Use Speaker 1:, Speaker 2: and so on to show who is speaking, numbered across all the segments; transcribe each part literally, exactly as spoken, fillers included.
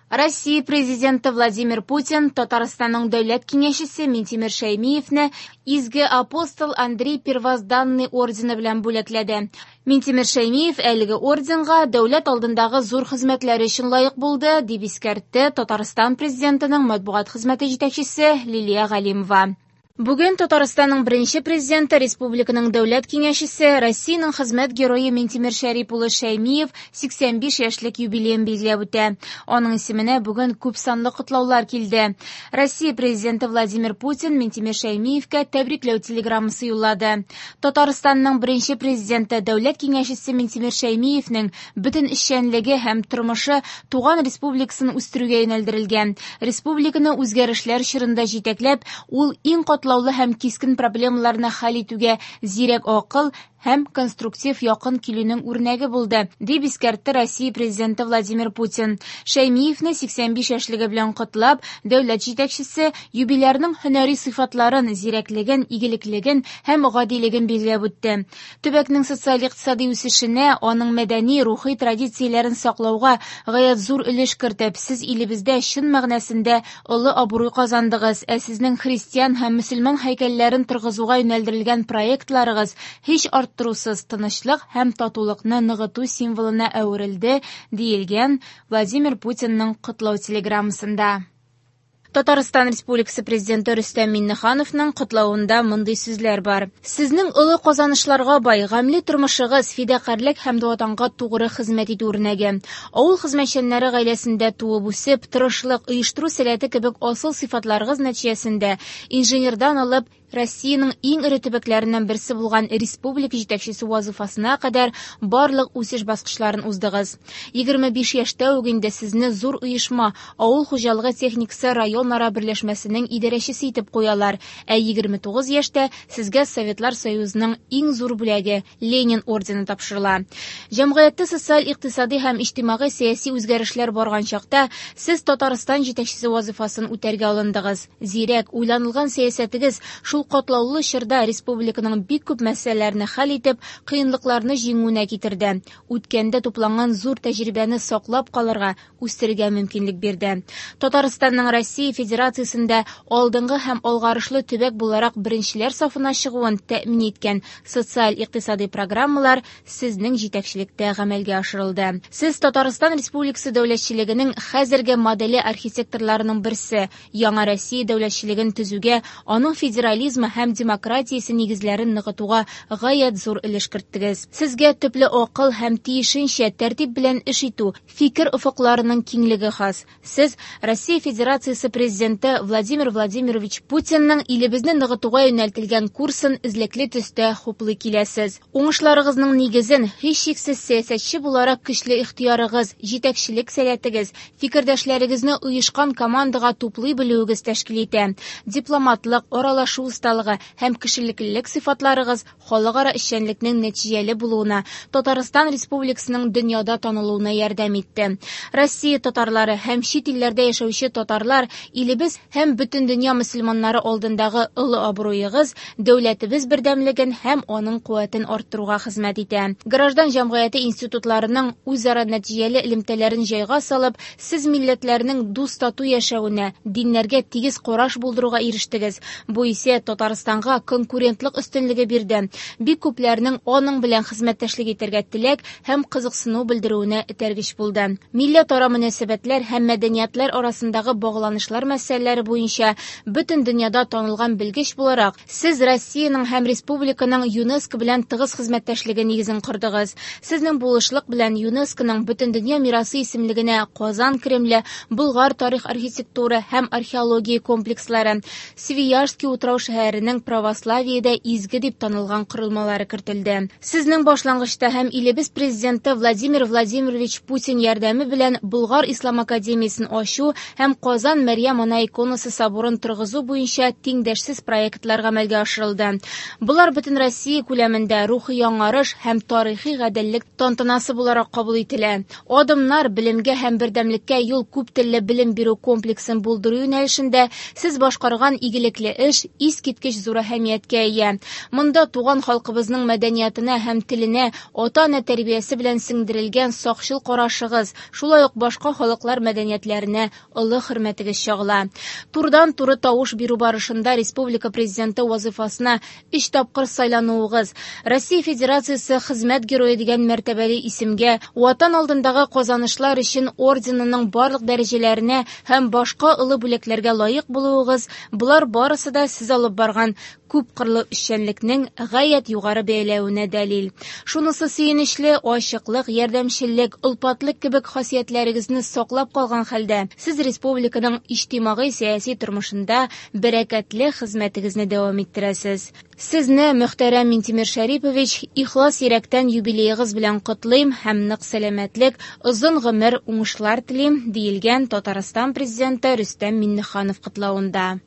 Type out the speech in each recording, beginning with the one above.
Speaker 1: Россия Президенты Владимир Путин Татарстанның дәүләт киңәшчесе Минтимер Шәймиевне Изге апостол Андрей Первозданный ордены белән бүләкләде. Минтимер Шәймиев әлеге орденга дәүләт алдындагы зур хезмәтләре өчен лаек булды, дип искәртте Татарстан Президентының матбугат хезмәте җитәкчесе Лилия Галимова. Бүген Татарстанның беренче президенты, республиканың дәүләт киңәшчесе, Россиянең хезмәт герое Минтимер Шәрип улы Шәймиев сиксән биш яшьлек юбилеен билгеләп үтә. Аның исеменә бүген күп санлы котлаулар килде. Россия президенты Владимир Путин Минтимер Шәймиевкә тәбрикләү телеграммасы юллады. Татарстанның беренче президенты, дәүләт киңәшчесе Минтимер Шәймиевнең бөтен эшчәнлеге һәм тормышы туган республикасын үстерүгә юнәлдерелгән. Республиканы үзгәрешләр чорында җитәкләп, ул иң катлаулы һәм кискен проблемаларны хәл итүгә зирәк акыл һәм конструктив якын килүнең үрнәге булды, дип искәртте Россия президенты Владимир Путин. Шәймиевне сиксән биш яшьлеге белән котлап, дәүләт җитәкчесе юбилярның һөнәри сыйфатларын, зирәклеген, игелеклеген һәм гадилеген билгеләп үтте. Төбәкнең социаль-икътисади үсешенә, аның мәдәни, рухи традицияләрен саклауга гаять зур өлеш кертеп, сез илебездә чын мәгънәсендә олы абруй казандыгыз, ә сезнең христиан һәм мөселман һәйкәлләрен торгызуга юнәлдерелгән проектларыгыз һич арттырусыз тынычлык һәм татулыкны ныгыту символына әверелде, диелгән Владимир Путинның котлау телеграммасында. Татарстан Республикасы Президенты Рөстәм Миңнехановның котлавында мондый сүзләр бар. Сезнең олы казанышларга бай, гамьле тормышыгыз, фидакарьлек һәм ватанга тугры хезмәт итү үрнәге. Авыл хезмәтчәннәре гаиләсендә туып үсеп, тырышлык, оештыру сәләте кебек асыл сыйфатларыгыз нәтиҗәсендә инженердан алып Россиянең иң эре төбәкләреннән берсе булган республика җитәкчесе вазифасына кадәр барлык үсеш баскычларын уздыгыз. Егерме биш яшьтә үк инде сезне зур оешма, авыл хуҗалыгы техникасы районара берләшмәсенең идарәчесе итеп куялар, ә егерме тугыз яшьтә сезгә Советлар Союзының иң зур бүләге Ленин ордены тапшырыла. Җәмгыятьтә социаль-икътисади һәм иҗтимагый сәяси үзгәрешләр барган чакта сез Татарстан җитәкчесе вазифасын үтәргә алындыгыз. Зирәк, уйланылган сәясәтегез шул катлаулы чорда республиканың бик күп мәсьәләләрне хәл итеп, кыенлыкларны җиңүенә китерде. Үткәндә тупланган зур тәҗрибәне саклап калырга, үстерергә мөмкинлек бирде. Татарстанның Россия Федерациясендә алдынгы һәм алгарышлы төбәк буларак беренчеләр сафына чыгуын тәэмин иткән социаль-икътисади программалар сезнең җитәкчелектә гамәлгә ашырылды. Сез Татарстан Республикасы дәүләтчелегенең хәзерге моделе архитекторларының берсе, яңа Россия дәүләтчелеген төзүгә, аның федерализм һәм демократиясе нигезләрен ныгытуга гаять зур өлеш керттегез. Сезгә төпле акыл һәм тиешенчә тәртип белән эш итү, фикер офыкларының киңлеге хас. Сез Россия Федерациясе Президенты Владимир Владимирович Путинның илебезне ныгытуга юнәлтелгән курсын эзлекле төстә хуплый киләсез. Уңышларыгызның нигезен һичшиксез сәясәтче буларак көчле ихтыярыгыз, җитәкчелек сәләтегез, фикердәшләрегезне оешкан командага туплый белүегез тәшкил итә. Дипломатлык, аралашу осталыгы һәм кешелеклелек сыйфатларыгыз халыкара эшчәнлекнең нәтиҗәле булуына, Татарстан Республикасының дөньяда танылуына ярдәм итте. Россия татарлары һәм чит илләрдә яшәүче татарлар илебез һәм бөтен дөнья мөселманнары алдындагы олы абруегыз дәүләтебез бердәмлеген һәм аның куәтен арттыруга хезмәт итә. Граждан җәмгыяте институтларының үзара нәтиҗәле элемтәләрен җайга салып, сез милләтләрнең дус-тату яшәвенә, диннәргә тигез караш булдыруга ирештегез. Бу исә Татарстанга конкурентлык өстенлеге бирде. Бик күпләрнең аның белән хезмәттәшлек итәргә теләк һәм кызыксыну белдерүенә этәргеч булды. Милләтара мөнәсәбәтләр һәм мәдәниятләр арасындагы багланышлар мәсьәләләре буенча бөтен дөньяда танылган белгеч буларак, сез Россиянең һәм республиканың ЮНЕСКО белән тыгыз хезмәттәшлеге нигезен кордыгыз. Сезнең булышлык белән ЮНЕСКОның Бөтендөнья мирасы исемлегенә Казан Кремле, Болгар тарих архитектура һәм археология комплекслары, Свияжский утрау шәһәренең православиедә изге дип танылган корылмалары кертелде. Сезнең башлангычта һәм илебез президенты Владимир Владимирович Путин ярдәме белән Болгар Ислам академиясен ачу һәм Казан Мәрьям Ана иконасы соборын торгызу буенча тиңдәшсез проектлар гамәлгә ашырылды. Болар бөтен Россия күләмендә рухи яңарыш һәм тарихи гаделлек тантанасы буларак кабул ителә. Адымнар белемгә һәм бердәмлеккә юл күп телле белем бирү комплексын булдыру юнәлешендә сез башкарган игелекле эш ис искиткеч зур әһәмияткә ия. Монда туган халкыбызның мәдәниятына һәм теленә ата-ана тәрбиясе белән сеңдерелгән сакчыл карашыгыз, шулай ук башка халыклар мәдәниятләренә олы хөрмәтегез чагыла. Турыдан-туры тавыш бирү барышында республика президенты вазифасына өч тапкыр сайлануыгыз, Россия Федерациясе хезмәт герое дигән мәртәбәле исемгә, Ватан алдындагы казанышлар өчен орденының барлык дәрәҗәләренә һәм башка олы бүләкләргә лаек булуыгыз, болар барысы да сез алып барган күпкырлы эшчәнлекнең гаять югары бәяләвенә дәлил. Шунысы сөенечле, ачыклык, ярдәмчеллек, олпатлык кебек хасиятләрегезне саклап калган хәлдә, сез республиканың иҗтимагый-сәяси тормышында бәрәкәтле хезмәтегезне дәвам иттерәсез. Сезне, мөхтәрәм Минтимер Шәрипович, ихлас йөрәктән юбилеегыз белән котлыйм һәм нык сәламәтлек, озын гомер, уңышлар телим, диелгән Татарстан президенты Рөстәм Миңнеханов котлавында.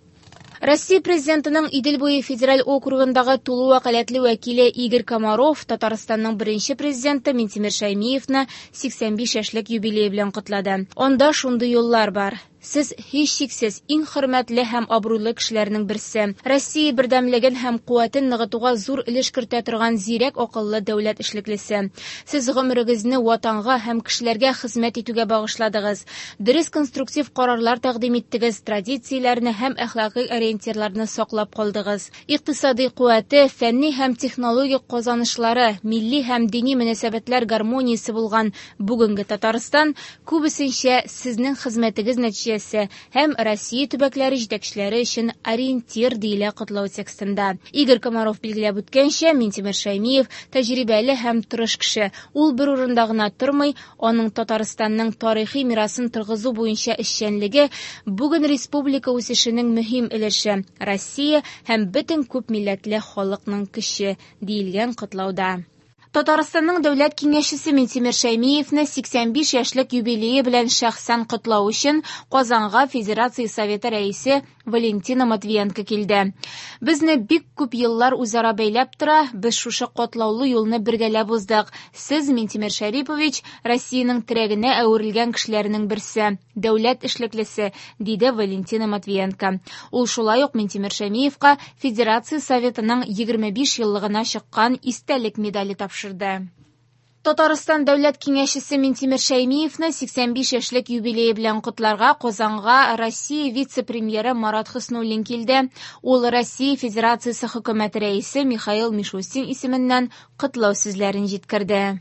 Speaker 1: Россия президентының Идел буе федераль округындагы тулы вәкаләтле вәкиле Игорь Комаров Татарстанның беренче президенты Минтимер Шәймиевны сиксән биш яшьлек юбилее белән котлады. Анда шундый юллар бар. Сез һичшиксез иң хөрмәтле һәм абруйлы кешеләрнең берсе. Россия бердәмлеген һәм куәтен ныгытуга зур өлеш кертә торган зирәк акыллы дәүләт эшлеклесе. Сез гомерегезне ватанга һәм кешеләргә хезмәт итүгә багышладыгыз. Дөрес конструктив карарлар тәкъдим иттегез, традицияләрне һәм әхлакый ориентирларны саклап калдыгыз. Икътисади куәте, фәнни һәм технологик казанышлары, милли һәм дини мөнәсәбәтләр гармониясе булган бүгенге Татарстан күбесенчә сезнең хезмәтегез нәтиҗәсе һәм Россия төбәкләре җитәкчеләре өчен ориентир диелә котлау текстында. Игорь Комаров билгеләп үткәнчә, Минтимер Шәймиев тәҗрибәле һәм тырыш кеше. Ул бер урында гына тормый, аның Татарстанның тарихи мирасын торгызу буенча эшчәнлеге бүген республика үсешенең мөһим өлеше, Россия һәм бөтен күп милләтле халыкның көче, диелгән котлауда. Татарстанның дәүләт киңәшчесе Минтимер Шәймиевне сиксән биш яшьлек юбилее белән шәхсән котлау өчен Казанга Федерация Советы рәисе Валентина Матвиенко килде. Безне бик күп еллар үзара бәйләп тора, без шушы котлаулы юлны бергәләп уздык. Сез, Минтимер Шәрипович, Россиянең терәгенә әверелгән кешеләрнең берсе, дәүләт эшлеклесе, диде Валентина Матвиенко. Ул шулай ук Минтимер Шәймиевка Федерация Советының егерме биш еллыгына чыккан истәлек медале тапшырды. Татарстан дәүләт киңәшчесе Минтимер Шәймиевне сиксән биш яшьлек юбилее белән котларга Казанга Россия вице-премьеры Марат Хөснуллин килде. Ул Россия Федерациясе хөкүмәте рәисе Михаил Мишустин исеменнән котлау сүзләрен җиткерде.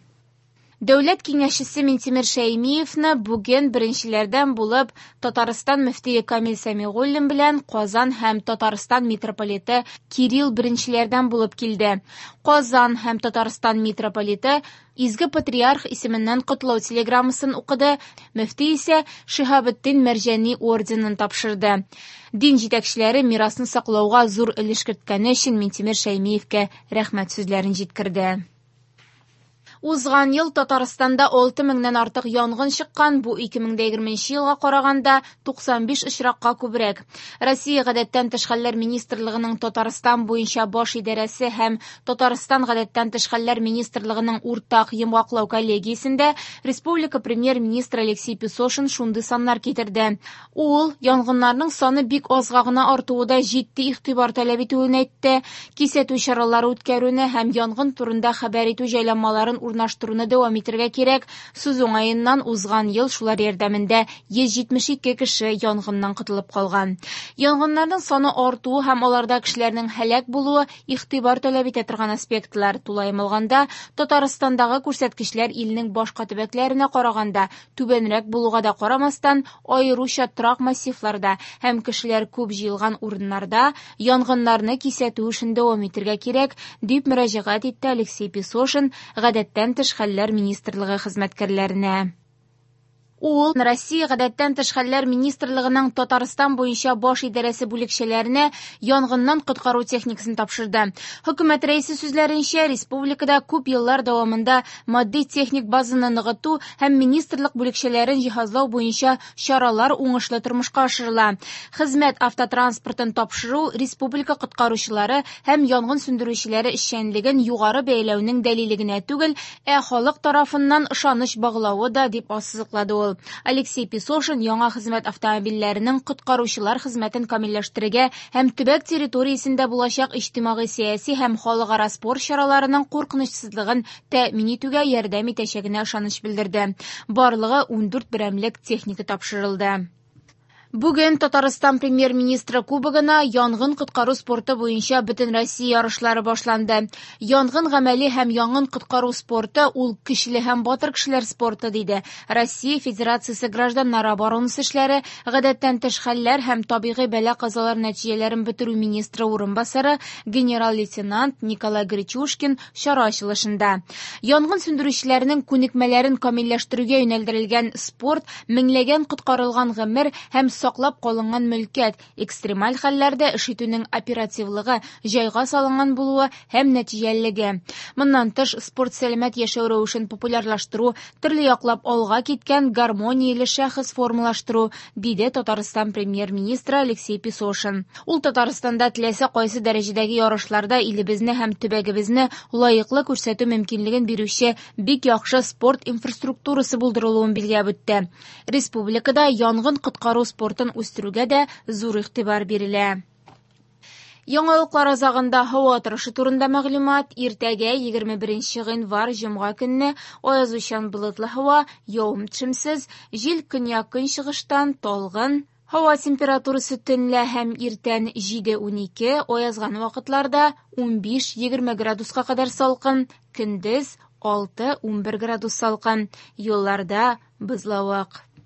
Speaker 1: Дәүләт киңәшчесе Минтимер Шәймиевне бүген беренчеләрдән булып Татарстан мөфтие Камил Сәмигуллин белән Казан һәм Татарстан митрополиты Кирилл беренчеләрдән булып килде. Казан һәм Татарстан митрополиты Изге Патриарх исеменнән котлау телеграммасын укыды, мөфти исә Шиһабетдин Мәрҗани орденын тапшырды. Дин җитәкчеләре мирасны саклауга зур өлеш керткәне өчен Минтимер Шәймиевкә рәхмәт сүзләрен җиткерде. Узган ел Татарстанда алты меңнән артык янгын чыккан, бу ике мең дә егерменче елга караганда туксан биш очракка күбрәк. Россия гадәттән тыш хәлләр министрлыгының Татарстан буенча баш идарәсе һәм Татарстан гадәттән тыш хәлләр министрлыгының уртак йомгаклау коллегиясендә республика премьер-министры Алексей Песошин шундый саннар китерде. Ул янгыннарның саны бик азга гына артуы да җитди игътибар таләп итүен әйтте. Кисәтү чаралары үткәрүне һәм янгын турында хәбәр итү җайланмаларын урнаштыруны дәвам итәргә кирәк. Сүз уңаеннан узган ел шулар ярдәмендә йөз җитмеш ике кеше янгыннан котылып калган. Янгыннарның саны артуы һәм аларда кешеләрнең һәлак булуы игътибар таләп итә торган аспектлар. Тулаем алганда, Татарстандагы күрсәткечләр илнең башка төбәкләренә караганда түбәнрәк булуга да карамастан, аеруча торак массивларда һәм кешеләр күп җыелган урыннарда янгыннарны кисәтү эшен дәвам итәргә кирәк, дип мөрәҗәгать итте Алексей Песошин гадәттән тыш хәлләр министрлыгы хезмәткәрләренә. Ул Россия гадәттән тыш хәлләр министрлыгының Татарстан буенча баш идарәсе бүлекчәләренә янгыннан коткару техникасын тапшырды. Хөкүмәт рәисе сүзләренчә, республикада күп еллар дәвамында матди техник базаны ныгыту һәм министрлык бүлекчәләрен җиһазлау буенча чаралар уңышлы тормышка ашырыла. Хезмәт автотранспортын тапшыру республика коткаручылары һәм янгын сүндерүчеләре эшчәнлеген югары бәяләүнең дәлиле генә түгел, ә халык тарафыннан ышаныч баглавы да, дип ассызыклады ул. ул. Алексей Песошин яңа хезмәт автомобильләренең коткаручылар хезмәтен камилләштерергә һәм төбәк территориясендә булачак иҗтимагый-сәяси һәм халыкара спорт чараларының куркынычсызлыгын тәэмин итүгә ярдәм итәчәгенә ышаныч белдерде. Барлыгы ундүрт берәмлек техника тапшырылды. Бүген Татарстан премьер-министры кубогына янгын коткару спорты буенча Бөтенроссия ярышлары башланды. Янгын гамәли һәм янгын коткару спорты ул көчле һәм батыр кешеләр спорты, диде Россия Федерациясе гражданнар оборонасы эшләре, гадәттән тыш хәлләр һәм табигый бәла-казалар нәтиҗәләрен бетерү министры урынбасары генерал-лейтенант Николай Гречушкин чара ачылышында. Янгын сүндерүчеләрнең күнекмәләрен камилләштерүгә юнәлдерелгән спорт меңләгән коткарылган гомер һәм саклап калынган мөлкәт, экстремаль хәлләрдә эш итүнең оперативлыгы, җайга салынган булуы һәм нәтиҗәлелеге. Моннан тыш, спорт сәламәт яшәү рәвешен популярлаштыру, төрле яклап алга киткән гармонияле шәхес формалаштыру, диде Татарстан премьер-министры Алексей Песошин. Ул Татарстанда теләсә кайсы дәрәҗәдәге ярышларда илебезне һәм төбәгебезне лаеклы күрсәтү мөмкинлеген бирүче бик яхшы спорт инфраструктурасы булдырылуын билгеләп үтте. Республикада янгын коткару спорты үстерүгә дә зур игътибар бирелә. Яңалыклар азагында һава торышы турында мәгълүмат. Иртәгә егерме беренче гыйнвар җомга көнне аязучан болытлы һава, явым-төшемсез, җил көньяк-көнчыгыштан талгын. Һава температурасы төнлә һәм иртән җиде унике, аязган вакытларда унбиш егерме градуска кадәр салкын, көндез алты унбер градус салкын. Юлларда бозлавык.